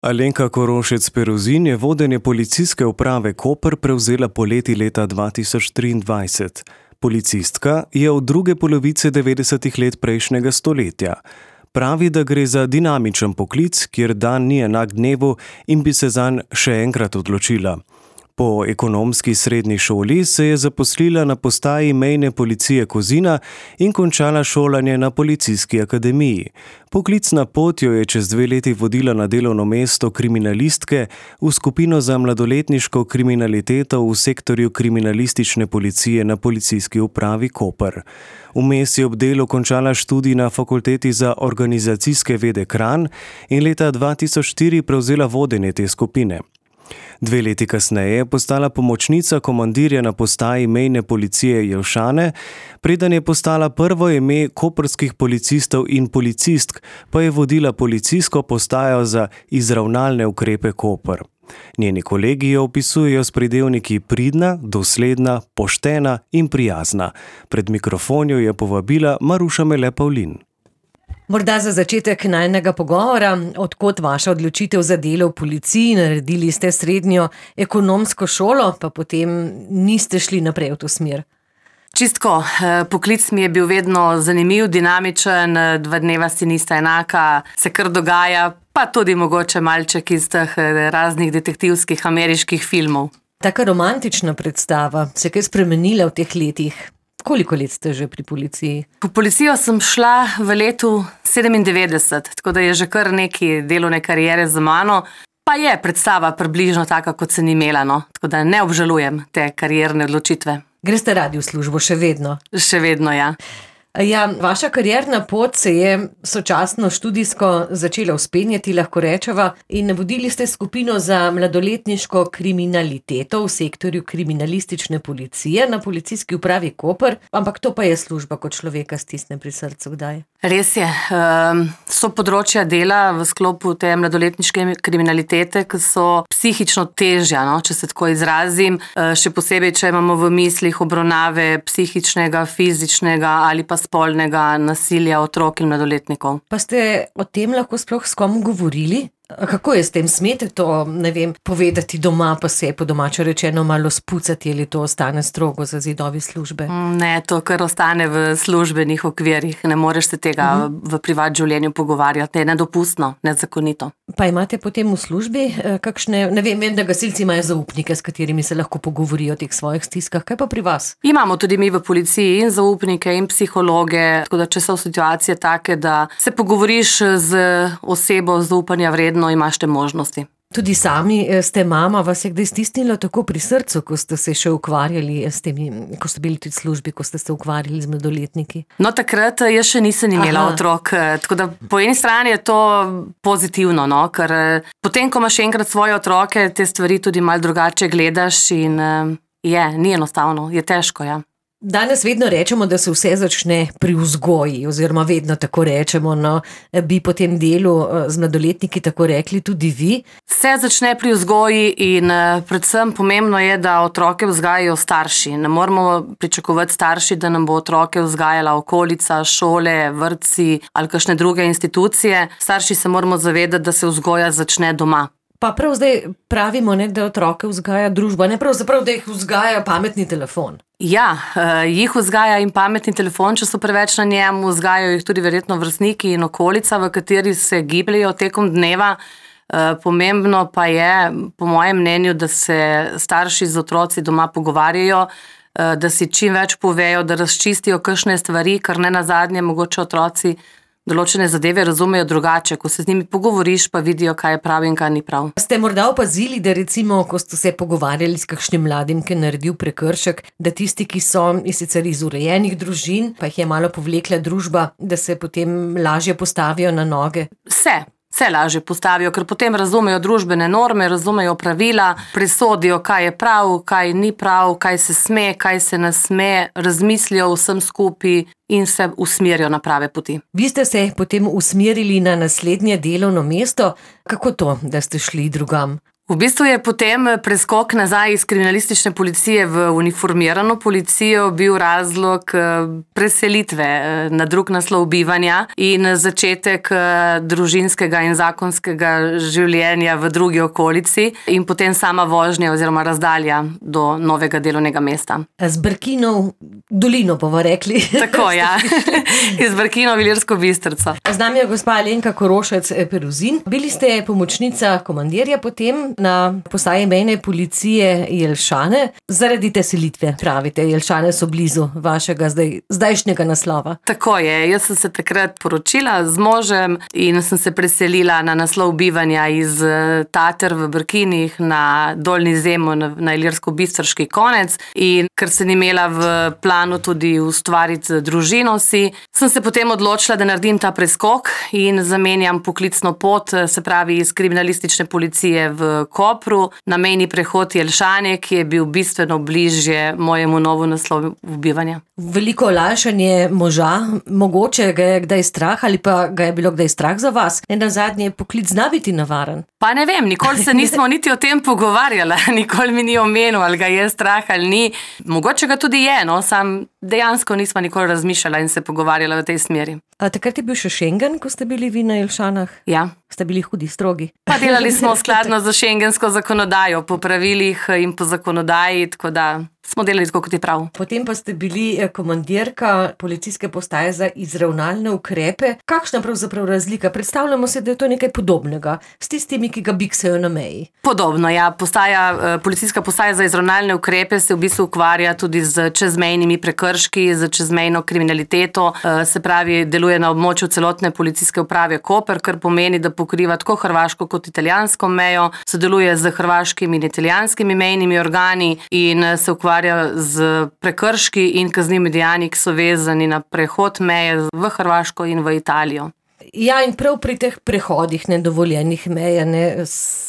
Alenka Korošec-Peruzin je vodenje policijske uprave Koper prevzela poleti leta 2023. Policistka je od druge polovice 90. let prejšnjega stoletja. Pravi, da gre za dinamičen poklic, kjer dan ni enak dnevu in bi se zanj še enkrat odločila. Po ekonomski srednji šoli se je zaposlila na postaji mejne policije Kozina in končala šolanje na policijski akademiji. Poklicna pot jo je čez 2 leti vodila na delovno mesto kriminalistke v skupino za mladoletniško kriminaliteto v sektorju kriminalistične policije na policijski upravi Koper. Vmes je ob delu končala študij na Fakulteti za organizacijske vede Kranj in leta 2004 prevzela vodenje te skupine. 2 leti kasneje je postala pomočnica komandirja na postaji mejne policije Jelšane, preden je postala prvo ime koprskih policistov in policistk, pa je vodila policijsko postajo za izravnalne ukrepe Koper. Njeni kolegi jo opisujejo s pridevniki pridna, dosledna, poštena in prijazna. Pred mikrofon jo je povabila Maruša Mele Pavlin. Morda za začetek najinega pogovora, od kod vaša odločitev za delo v policiji, naredili ste srednjo ekonomsko šolo, pa potem niste šli naprej v to smer? Čistko, poklic mi je bil vedno zanimiv, dinamičen, 2 dneva si nista enaka, se kar dogaja, pa tudi mogoče malček iz teh raznih detektivskih ameriških filmov. Taka romantična predstava se je kaj spremenila v teh letih? Koliko let ste že pri policiji? V policijo sem šla v letu 97, tako da je že kar neki delovne kariere za mano, pa je predstava približno taka, kot sem imela, no. Tako da ne obžalujem te karierne odločitve. Greste radi v službo še vedno? Še vedno, ja. Ja, vaša karierna pot se je sočasno študijsko začela vzpenjati, lahko rečeva, in vodili ste skupino za mladoletniško kriminaliteto v sektorju kriminalistične policije na policijski upravi Koper, ampak to pa je služba, ko človeka stisne pri srcu, kdaj? Res je. So področja dela v sklopu te mladoletniške kriminalitete, ki so psihično težja, no, če se tako izrazim, še posebej, če imamo v mislih obravnave psihičnega, fizičnega ali pa spolnega nasilja otrok in mladoletnikov. Pa ste o tem lahko sploh s kom govorili? Kako je s tem? Smete to, ne vem, povedati doma, pa se po domače rečeno malo spucati, ali to ostane strogo za zidovi službe? Ne, to kar ostane v službenih okvirih. Ne moreš se tega v privat življenju pogovarjati. Je nedopustno, nezakonito. Pa imate potem v službi kakšne, ne vem, da gasilci imajo zaupnike, s katerimi se lahko pogovorijo o teh svojih stiskah. Kaj pa pri vas? Imamo tudi mi v policiji in zaupnike in psihologe, tako da če so situacije take, da se pogovoriš z osebo zaupanja vredno, imaš te možnosti. Tudi sami ste mama, vas je kdaj stisnilo tako pri srcu, ko ste se še ukvarjali s temi, ko ste bili tudi v službi, ko ste se ukvarjali z mladoletniki? No, takrat jaz še nisem imela otrok, tako da po eni strani je to pozitivno, no, ker potem, ko imaš enkrat svoje otroke, te stvari tudi malo drugače gledaš in ni enostavno, je težko, ja. Danes vedno rečemo, da se vse začne pri vzgoji, oziroma vedno tako rečemo, no, bi po tem delu z mladoletniki tako rekli tudi vi? Vse začne pri vzgoji in predvsem pomembno je, da otroke vzgajajo starši. Ne moramo pričakovati starši, da nam bo otroke vzgajala okolica, šole, vrtci ali kakšne druge institucije. Starši se moramo zavedati, da se vzgoja začne doma. Pa prav zdaj pravimo, ne, da otroke vzgaja družba, ne pravzaprav, da jih vzgaja pametni telefon. Ja, jih vzgaja in pametni telefon, če so preveč na njem, vzgajajo jih tudi verjetno vrstniki in okolica, v kateri se gibljajo tekom dneva. Pomembno pa je, po mojem mnenju, da se starši z otroci doma pogovarjajo, da si čim več povejo, da razčistijo kakšne stvari, kar ne nazadnje mogoče otroci določene zadeve razumejo drugače, ko se z njimi pogovoriš, pa vidijo, kaj je prav in kaj ni prav. Ste morda opazili, da recimo, ko ste se pogovarjali s kakšnim mladim, ki je naredil prekršek, da tisti, ki so sicer iz urejenih družin, pa jih je malo povlekla družba, da se potem lažje postavijo na noge? Se lažje postavijo, ker potem razumejo družbene norme, razumejo pravila, presodijo, kaj je prav, kaj ni prav, kaj se sme, kaj se ne sme, razmislijo vsem skupaj in se usmerijo na prave poti. Vi ste se potem usmerili na naslednje delovno mesto. Kako to, da ste šli drugam? V bistvu je potem preskok nazaj iz kriminalistične policije v uniformirano policijo bil razlog preselitve na drug naslov bivanja in začetek družinskega in zakonskega življenja v drugi okolici in potem sama vožnja oziroma razdalja do novega delovnega mesta. Z Brkinov dolino bomo rekli. Tako, ja. Iz Brkinov v Ilirsko Bistrico. Z nami je gospa Alenka Korošec-Peruzin. Bili ste pomočnica komandirja potem na postaji mejne policije Jelšane. Zaradi te selitve, pravite, Jelšane so blizu vašega zdajšnjega naslova. Tako je, jaz sem se takrat poročila z možem in sem se preselila na naslov bivanja iz Tater v Brkinih na Dolnji Zemun na Ilirsko-Bistriški konec in ker sem imela v planu tudi ustvariti družino si, sem se potem odločila, da naredim ta preskok in zamenjam poklicno pot, se pravi iz kriminalistične policije v Kopru na mejni prehod Jelšane, ki je bil bistveno bližje mojemu novu naslovu bivanja. Veliko olajšanje moža, mogoče ga je kdaj strah ali pa ga je bilo kdaj strah za vas. Nenazadnje je poklic zna biti nevaren. Pa ne vem, nikoli se nismo niti o tem pogovarjala, nikoli mi ni omenil, ali ga je strah ali ni. Mogoče ga tudi je, no, sam dejansko nismo nikoli razmišljala in se pogovarjala v tej smeri. Takrat je bil še Schengen, ko ste bili vi na Jelšanah? Ja. Ste bili hudi, strogi? Pa delali smo skladno za šengensko zakonodajo, po pravilih in po zakonodaji, tako da smo delali tako, kot je prav. Potem pa ste bili komandirka policijske postaje za izravnalne ukrepe. Kakšna pravzaprav razlika? Predstavljamo se, da je to nekaj podobnega s tistimi, ki ga biksajo na meji. Podobno, ja. Policijska postaja za izravnalne ukrepe se v bistvu ukvarja tudi z čezmejnimi prekrški, z čezmejno kriminaliteto, se pravi, deluje na območju celotne policijske uprave Koper, kar pomeni, da pokriva tako hrvaško kot italijansko mejo, sodeluje z hrvaškimi in italijanskimi mejnimi organi in se ukvarja z prekrški in kaznivimi dejanji, ki so vezani na prehod meje v Hrvaško in v Italijo. Ja, in prav pri teh prehodih nedovoljenih meja,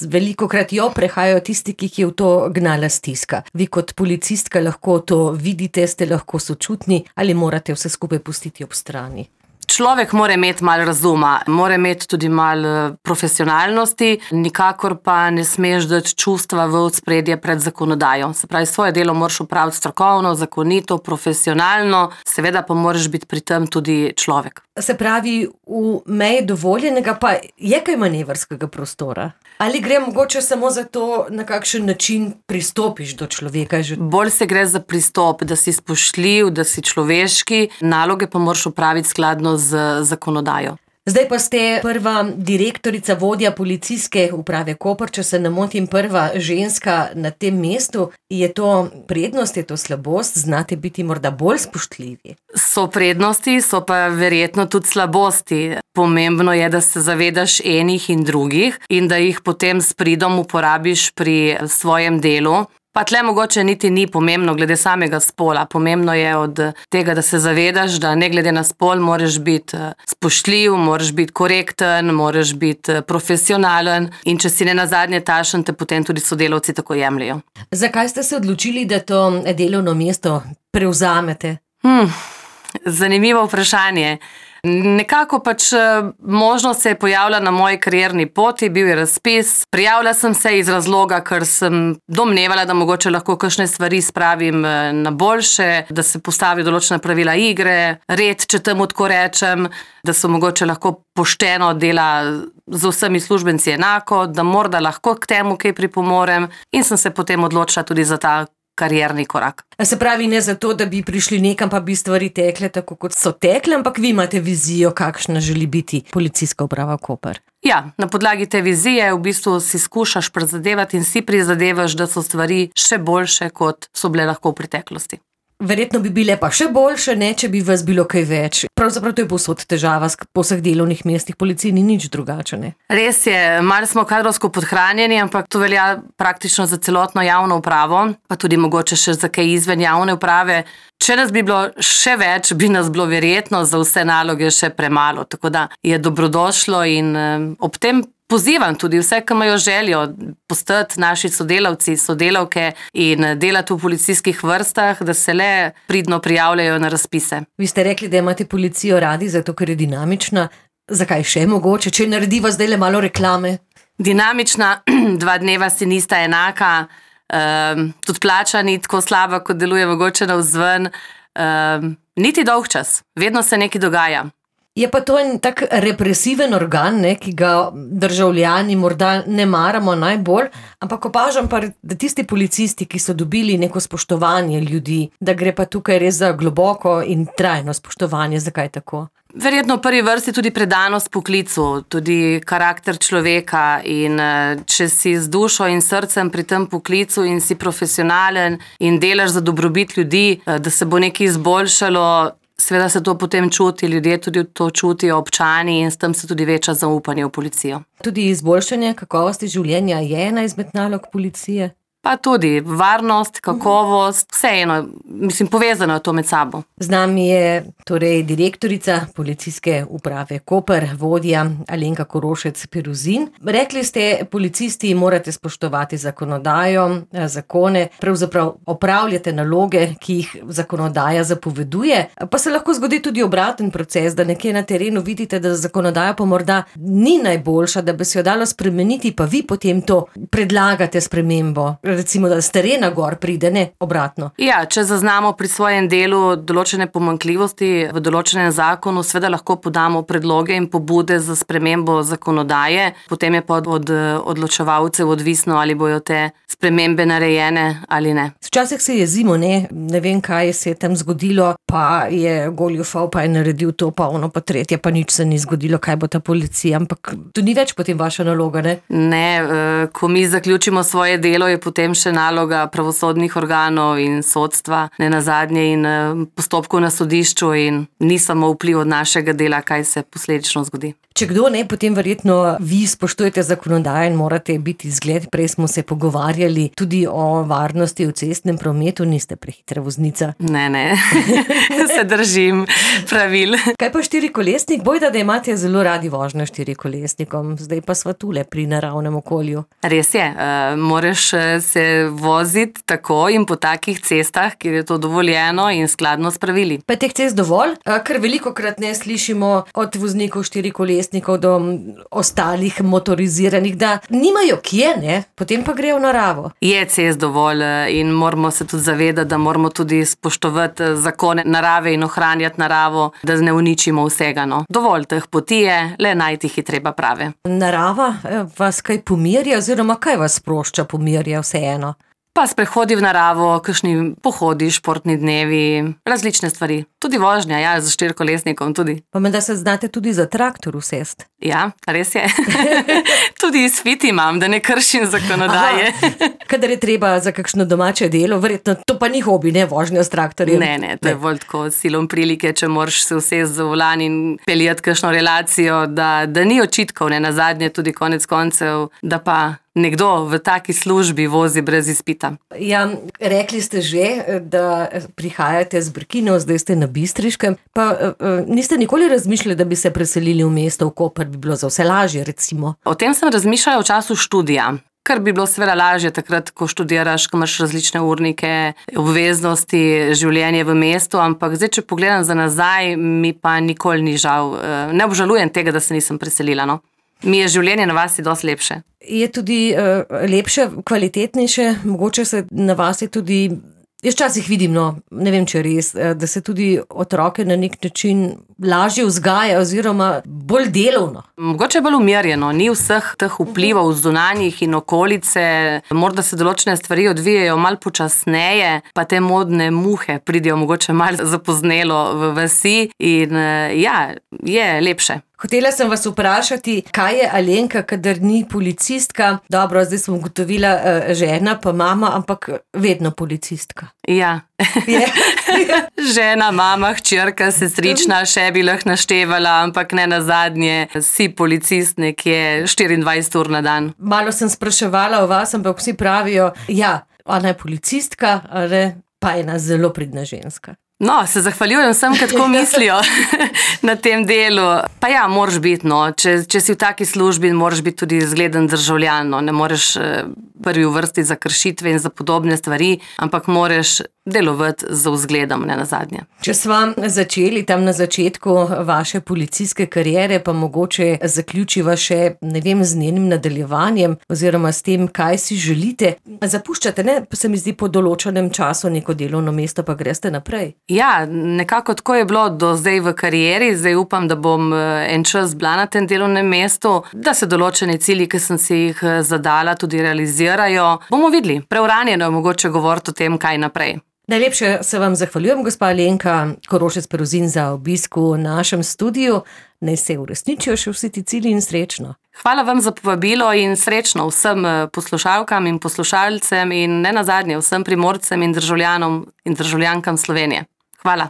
velikokrat jo prehajajo tisti, ki jih je v to gnala stiska. Vi kot policistka lahko to vidite, ste lahko sočutni ali morate vse skupaj pustiti ob strani? Človek mora imeti malo razuma, mora imeti tudi malo profesionalnosti, nikakor pa ne smeš dati čustva v ospredje pred zakonodajo. Se pravi, svoje delo moraš opraviti strokovno, zakonito, profesionalno, seveda pa moraš biti pri tem tudi človek. Se pravi, v meji dovoljenega pa je kaj manevrskega prostora? Ali gre mogoče samo za to, na kakšen način pristopiš do človeka? Bolj se gre za pristop, da si spoštljiv, da si človeški, naloge pa moraš opraviti skladno z zakonodajo. Zdaj pa ste prva direktorica, vodja policijske uprave Koper, če se ne motim, prva ženska na tem mestu. Je to prednost, je to slabost? Znate biti morda bolj spoštljivi? So prednosti, so pa verjetno tudi slabosti. Pomembno je, da se zavedaš enih in drugih in da jih potem s pridom uporabiš pri svojem delu. Pa tle mogoče niti ni pomembno glede samega spola. Pomembno je od tega, da se zavedaš, da ne glede na spol moraš biti spoštljiv, moraš biti korekten, moraš biti profesionalen in če si ne nazadnje tašen, te potem tudi sodelavci tako jemljajo. Zakaj ste se odločili, da to delovno mesto prevzamete? Zanimivo vprašanje. Nekako pač možnost se je pojavila na moji karierni poti, bil je razpis. Prijavila sem se iz razloga, ker sem domnevala, da mogoče lahko kakšne stvari spravim na boljše, da se postavi določena pravila igre, red, če temu tako rečem, da so mogoče lahko pošteno dela z vsemi službenci enako, da morda lahko k temu kaj pripomorem in sem se potem odločila tudi za ta karierni korak. Se pravi, ne zato, da bi prišli nekam, pa bi stvari tekle tako, kot so tekle, ampak vi imate vizijo, kakšna želi biti policijska uprava Koper. Ja, na podlagi te vizije v bistvu si skušaš prizadevati in si prizadevaš, da so stvari še boljše, kot so bile lahko v preteklosti. Verjetno bi bile pa še boljše, ne, če bi vas bilo kaj več. Pravzaprav to je povsod težava, po vseh delovnih mestih policije ni nič drugače, ne? Res je, malo smo kadrovsko podhranjeni, ampak to velja praktično za celotno javno upravo, pa tudi mogoče še za kaj izven javne uprave. Če nas bi bilo še več, bi nas bilo verjetno za vse naloge še premalo, tako da je dobrodošlo in ob tem pozivam tudi vse, ki imajo željo postati naši sodelavci, sodelavke in delati v policijskih vrstah, da se le pridno prijavljajo na razpise. Vi ste rekli, da imate policijo radi, zato ker je dinamična. Zakaj še mogoče, če narediva zdaj le malo reklame? Dinamična 2 dneva si nista enaka, tudi plača ni tako slaba, kot deluje mogoče navzven. Niti dolg čas, vedno se nekaj dogaja. Je pa to en tak represiven organ, ne, ki ga državljani morda ne maramo najbolj, ampak opažam pa, da tisti policisti, ki so dobili neko spoštovanje ljudi, da gre pa tukaj res za globoko in trajno spoštovanje. Zakaj tako? Verjetno v prvi vrsti tudi predanost poklicu, tudi karakter človeka in če si z dušo in srcem pri tem poklicu in si profesionalen in delaš za dobrobit ljudi, da se bo nekaj izboljšalo, seveda se to potem čuti, ljudje tudi to čutijo, občani, in s tem se tudi veča zaupanje v policijo. Tudi izboljšanje kakovosti življenja je ena izmed nalog policije? Pa tudi varnost, kakovost, vseeno, mislim, povezano je to med sabo. Z nami je torej direktorica Policijske uprave Koper, vodja Alenka Korošec Peruzin. Rekli ste, policisti morate spoštovati zakonodajo, zakone, pravzaprav opravljate naloge, ki jih zakonodaja zapoveduje, pa se lahko zgodi tudi obraten proces, da nekje na terenu vidite, da zakonodaja pa morda ni najboljša, da bi se jo dalo spremeniti, pa vi potem to predlagate spremembo. Recimo, da s terena gor pride, ne obratno. Ja, če zaznamo pri svojem delu določene pomanjkljivosti v določenem zakonu, seveda lahko podamo predloge in pobude za spremembo zakonodaje, potem je pa od odločevalcev odvisno, ali bojo te spremembe narejene ali ne. Včasih se jezimo, ne vem, kaj se je tam zgodilo, pa je goljufal, pa je naredil to, pa ono, pa tretje, pa nič se ni zgodilo, kaj bo ta policija, ampak to ni več potem vaša naloga, ne? Ne, ko mi zaključimo svoje delo, je potem še naloga pravosodnih organov in sodstva, ne nazadnje in postopkov na sodišču, in ni samo vpliv od našega dela, kaj se posledično zgodi. Če kdo ne, potem verjetno vi spoštujete zakonodajo in morate biti zgled. Prej smo se pogovarjali tudi o varnosti v cestnem prometu, niste prehitra voznica. Ne, se držim pravil. Kaj pa štirikolesnik? Bojda, da imate zelo radi vožnjo štirikolesnikom, zdaj pa sva tule pri naravnem okolju. Res je, moraš se voziti tako in po takih cestah, kjer je to dovoljeno in skladno s pravili. Pa teh cest dovolj? Ker velikokrat ne slišimo od voznikov štirikolesnikov do ostalih motoriziranih, da nimajo kje, ne? Potem pa grejo v naravo. Je cest dovolj in moramo se tudi zavedati, da moramo tudi spoštovati zakone narave in ohranjati naravo, da ne uničimo vsega. No. Dovolj teh poti je, le najti jih je treba prave. Narava vas kaj pomirja, oziroma kaj vas sprošča, pomirja vseeno? Pa sprehodi v naravo, kakšni pohodi, športni dnevi, različne stvari. Tudi vožnja, ja, za štirikolesnikom tudi. Pa menda se znate tudi za traktor usest. Ja, res je. Tudi izpit imam, da ne kršim zakonodaje. Kadar je treba za kakšno domače delo, verjetno to pa ni hobi, ne, vožnja s traktorjem. Ne, to je bolj tako silom prilike, če moraš se usesti za volan in peljati kakšno relacijo, da ni očitkov, ne, nazadnje tudi konec koncev, da pa nekdo v taki službi vozi brez izpita. Ja, rekli ste že, da prihajate z Brkinov, zdaj ste na Bistriškem, pa niste nikoli razmišljali, da bi se preselili v mesto v Koper, bi bilo za vse lažje, recimo? O tem sem razmišljala v času študija. Kar bi bilo seveda lažje takrat, ko študiraš, ko imaš različne urnike, obveznosti, življenje v mestu, ampak zdaj, če pogledam za nazaj, mi pa nikoli ni žal. Ne obžalujem tega, da se nisem preselila, no. Mi je življenje na vasi dosti lepše. Je tudi lepše, kvalitetnejše, mogoče se na vasi tudi, jaz včasih vidim, no, ne vem, če je res, da se tudi otroke na nek način lažje vzgaja oziroma bolj delovno. Mogoče je bolj umirjeno, ni vseh teh vplivov zunanjih in okolice, morda se določene stvari odvijajo malo počasneje, pa te modne muhe pridejo mogoče malo zapoznelo v vasi in ja, je lepše. Hotela sem vas vprašati, kaj je Alenka, kadar ni policistka? Dobro, zdaj sem ugotovila žena pa mama, ampak vedno policistka. Ja. Žena, mama, hčerka, sestrična, še bi lahko naštevala, ampak ne nazadnje si policist nekje 24 ur na dan. Malo sem spraševala o vas, ampak vsi pravijo, ja, ona je policistka, pa ena zelo pridna ženska. No, se zahvaljujem vsem, ki tako mislijo na tem delu. Pa ja, moraš biti, no, če si v taki službi, moraš biti tudi zgleden državljan, no, ne moreš prvi v vrsti za kršitve in za podobne stvari, ampak moraš delovati z vzgledom, ne nazadnje. Če sva začeli tam na začetku vaše policijske kariere, pa mogoče zaključiva še, z njenim nadaljevanjem oziroma s tem, kaj si želite. Zapuščate, ne, se mi zdi, po določenem času neko delovno mesto, pa greste naprej. Ja, nekako tako je bilo do zdaj v karieri, zdaj upam, da bom en čas bila na tem delovnem mestu, da se določeni cilji, ki sem si jih zadala, tudi realizirajo. Bomo videli, preuranjeno je mogoče govoriti o tem, kaj naprej. Najlepše se vam zahvaljujem, gospa Alenka Korošec Peruzin, za obisk v našem studiu. Naj se uresničijo še vsi ti cilji in srečno. Hvala vam za povabilo in srečno vsem poslušalkam in poslušalcem in ne nazadnje vsem Primorcem in državljanom in državljankam Slovenije. Hvala.